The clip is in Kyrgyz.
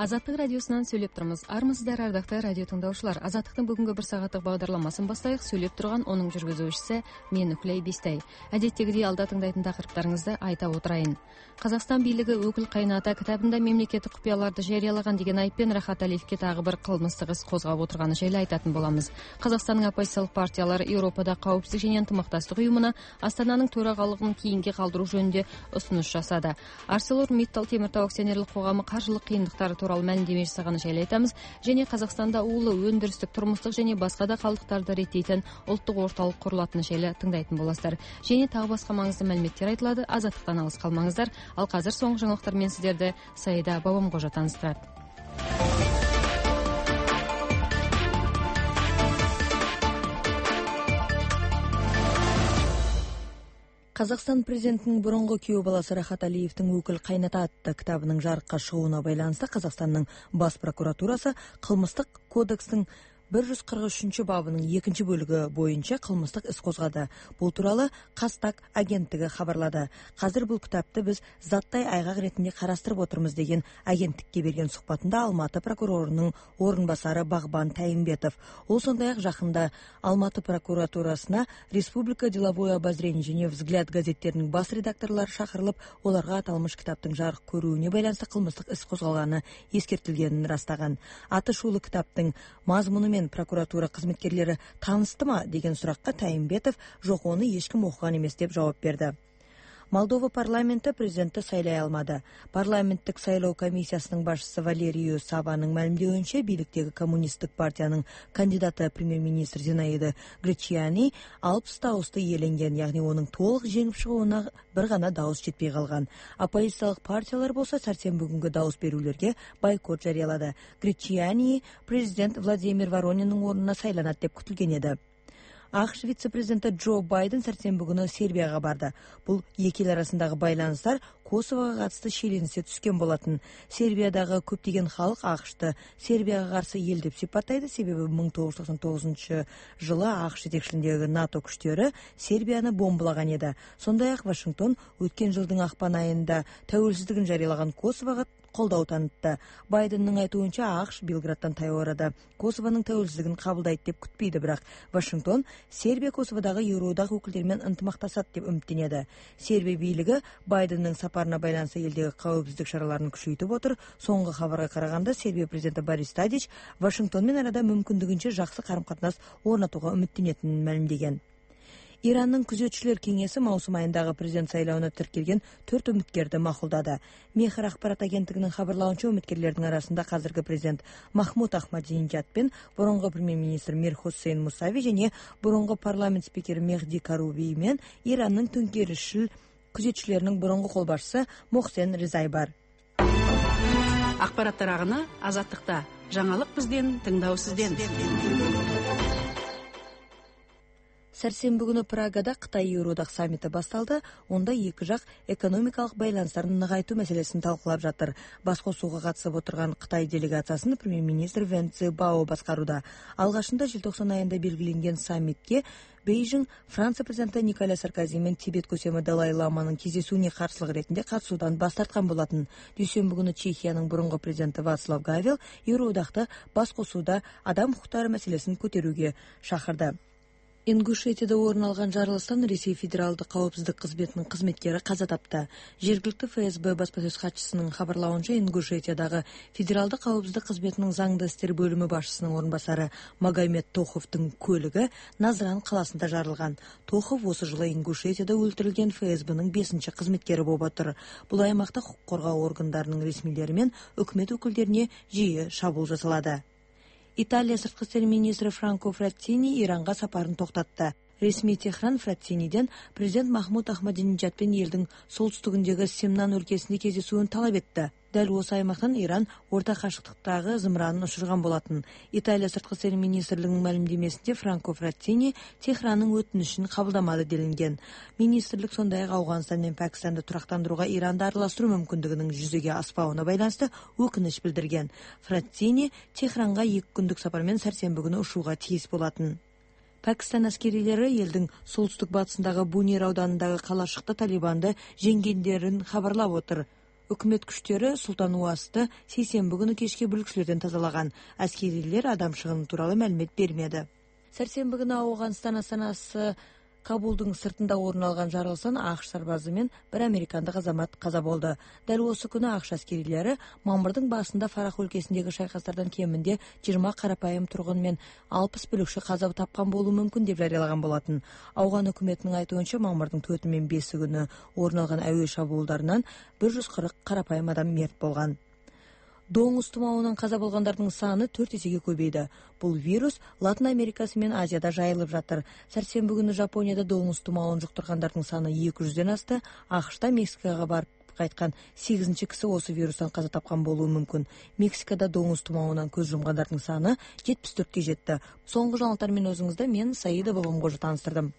Азаттык радиосунан сүйлөп турмуз. Армысыздар, ардактуу радио тыңдаушылар. Азаттыктын бүгүнкү бир сааттык багдарламасын баштайык. Сүйлөп турган онун жүргүзүүчүсү мен Үклей Бистай. Адеттегидей алда тыңдайтын такырыптарыңызды айта отурайын. Казакстан бийлиги өкүл кайната китабында мемлекеттик купуяларды жарыялаган деген айыппен Рахат Алиевке дагы бир кылмыштык иш козгоп отурганы жайлы айтатын боламыз. Казакстандын оппозициялык партиялары Европада коопсуздук жана ынтымакташтык уюмуна Астананын төрагалыгын кийинге калдыруу жөнүндө сунуш жасады. ArcelorMittal темир тоо акционерлик коому каржылык кыйындыктары тууралуу маалимдеме жасаганы жайлы айтабыз. Және Казакстанда уулу өндүрүстүк, турмуштук және баска да калдыктарды реттейтин улуттук орталык курулатыны жайлы тыңдайтын боласыздар. Және тагы башка маңыздуу маалиметтер айтылады. Азаттыктан алыс калмаңыздар. Ал азыр соңку жаңылыктар менен сиздерди Саида Бабамкожо тааныштырат. Казакстан президентинин бурунку күйөө баласы Рахат Алиевдин өкүл кайната атты китабынын жарыкка чыгууна байланыштуу Казакстандын бас прокуратурасы кылмыштык кодекстин 143-бабынын 2-бөлүгү боюнча кылмыштык иш козгоду. Бул тууралуу Кастак агенттиги кабарлады. Азыр бул китапты биз заттай айгак иретинде караштырып отурмуз деген агенттикке берген сухбатында Алматы прокурорунун орун басары Багбан Тайымбетов. Ол сондай-ак жакында Алматы прокуратурасына Республика деловое обозрение және Взгляд газеттеринин бас редакторлору шакырылып, оларга аталмыш китаптын жарык көрүүнү байланыштуу кылмыштык иш козголганы эскертилгенин растаган. Атышулуу китаптын мазмуну менен прокуратура кызматкерлери тааныстымы деген суракка Тайымбетов жок, ону эч ким окуган эмес деп жооп берди. Молдова парламенти президентти сайлай алмады. Парламенттик сайлоо комиссиясынын башчысы Валерию Сабанын маалимдеуинче, бийликтеги коммунисттик партиянын кандидаты премьер-министр Зинаида Гречиани 60 дауысты ээленген, ягни онун толук жеңип чыгууна бир гана дауыс жетпей калган. Оппозициялык партиялар болсо сарсенби күнгү дауыс берүүлөргө бойкот жарыялады. Гречиани президент Владимир Воронинин ордуна сайланат деп күтүлгөн эди. АКШ вице-президенти Джо Байден сарсенби күнү Сербияга барды. Бул эки эл арасындагы байланыштар Косового катысты шиеленисе түскөн болотун. Сербиядагы көптөгөн халык АКШты Сербияга каршы эл деп сипаттайды, себеби 1999-жылы АКШ жетекчилигиндеги НАТО күчтөрү Сербияны бомбалаган эди. Сондай-ак Вашингтон өткөн жылдын акпан айында тәуелсиздигин жарыялаган Косового колдоо танытты. Байдендин айтуунча, АКШ Белграддан таяу арада Косованын тәуелсиздигин кабылдайт деп күтпөйдү, бирок Вашингтон Сербия Косоводагы Евроодак өкүлдөрү менен ынтымакташат деп үмүттөнөдү. Сербия бийлиги Байдендин сапарына байланыштуу элдеги коопсуздук чараларын күчөйтүп отур. Соңку кабарга караганда, Сербия президенти Борис Тадич Вашингтон менен арада мүмкүндүгүнчө жакшы карым-катнаш орнотууга үмүттөнөтүнүн маалимдеген. Иранның күзөтчүлөр кеңеси маусым айындагы президент сайлауына тиркелген 4 үмүткерди макулдады. Мехр акпарат агенттигинин кабарлауынча, үмүткерлердин арасында казыркы президент Махмуд Ахмадинежад пен бурунку премьер-министр Мир Хусейн Мусави және бурунку парламент спикери Мехди Каруби менен Иранның төңкеришчил күзөтчүлөрүнүн бурунку кол башчысы Мохсен Резай бар. Акпараттар агыны Азаттыкта. Жаңалык бизден, тыңдоо сизден. Сәрсенбі күнү Прагада Кытай-Евроодак саммити басталды. Онда эки жак экономикалык байланыштарын ныгайтуу маселесин талкуулап жатыр. Баскосууга катышып отурган Кытай делегациясын премьер-министр Вэн Цзэбао башкарууда. Алгашында желтоқсан айында белгиленген саммитке Бейжиң Франция президенти Николя Саркози менен Тибет көсемі Далай Ламанын кездесүүнү каршылык иретинде катышуудан бас тарткан болотун. Дүйшөмбү күнү Чехиянын бурунку президенти Вацлав Гавел Евроодакты баскосууда адам укуктары маселесин көтөрүүгө шакырды. Ингушетияда орун алган жарылыштан Ресей федералдык коопсуздук кызметинин кызметкери каза тапты. Жергиликтүү ФСБ баспасөз катчысынын кабарлауынча, Ингушетиядагы федералдык коопсуздук кызметинин заңдуу иштер бөлүмү башчысынын орун басары Магомед Тоховдун көлүгү Назран каласында жарылган. Тохов осы жылы Ингушетияда өлтүрүлгөн ФСБнын 5-чи кызметкери болуп отур. Бул аймакта укук коргоо органдарынын ресмилери менен өкмөт өкүлдөрүнө жиі шабуул жасалады. Италия сырткы иштер министри Франко Фраттини Иранга сапарын токтатты. Ресми Техран Фраттиниден президент Махмуд Ахмадинежад пен элдин солтүстүгүндөгү Семнан өлкөсүндө кездесүүнү талап этти. Дәл осы аймактан Иран орта кашыктыктагы зымыранын учурган болотун. Италия сырткы иштер министрлигинин маалимдемесинде Франко Фраттини Техранын өтүнүшүн кабылдамады делинген. Министрлик сондай-ак Афганистан менен Пакистанды турактандырууга Иранды аралаштыруу мүмкүндүгүнүн жүзөгө аспауына байланыштуу өкүнүч билдирген. Фраттини Техранга 2 күндүк сапар менен сарсенби күнү ушууга тийиз болотун. Пакистан аскерилери элдин солтүстүк батысындагы Бунир ауданындагы калашыкта Талибанды жеңгендерин кабарлап отур. Өкмөт күчтөрү Султан Уасты сейсенби күнү кечке бүлүкчүлөрдөн тазалаган. Аскерилер адам чыгымы тууралуу маалимат бермеди. Сәрсенби күнү Афганистан астанасы Кабулдун сыртында орун алган жарылыштан АКШ сарбазы менен бир американдык азамат каза болду. Дал осы күнү АКШ аскерилери мамырдын башында Фарах өлкөсүндөгү шайкастардан кеминде 20 карапайым тургун менен 60 бүлүкчү каза тапкан болуу мүмкүн деп жарыялаган болотун. Афган өкмөтүнүн айтуунча, мамырдын 4 менен 5 күнү орун алган аөе шабуулдарынан 140 карапайым адам мерт болгон. Доңуз тумоонунан каза болгондордун саны 4 эсеге көбөйдү. Бул вирус Латын Америкасы менен Азияда жайылып жатыр. Сәрсенби күнү Жапонияда доңуз тумоонун жуктургандардын саны 200дөн асты. АКШта Мексикага барып кайткан 8-чи киши осы вирустан каза тапкан болуу мүмкүн. Мексикада доңуз тумоонунан көз жумгандардын саны 74ке жетти. Соңку жаңылыктар менен өзүңүздө мен Саида Бабамгожу таныстырдым.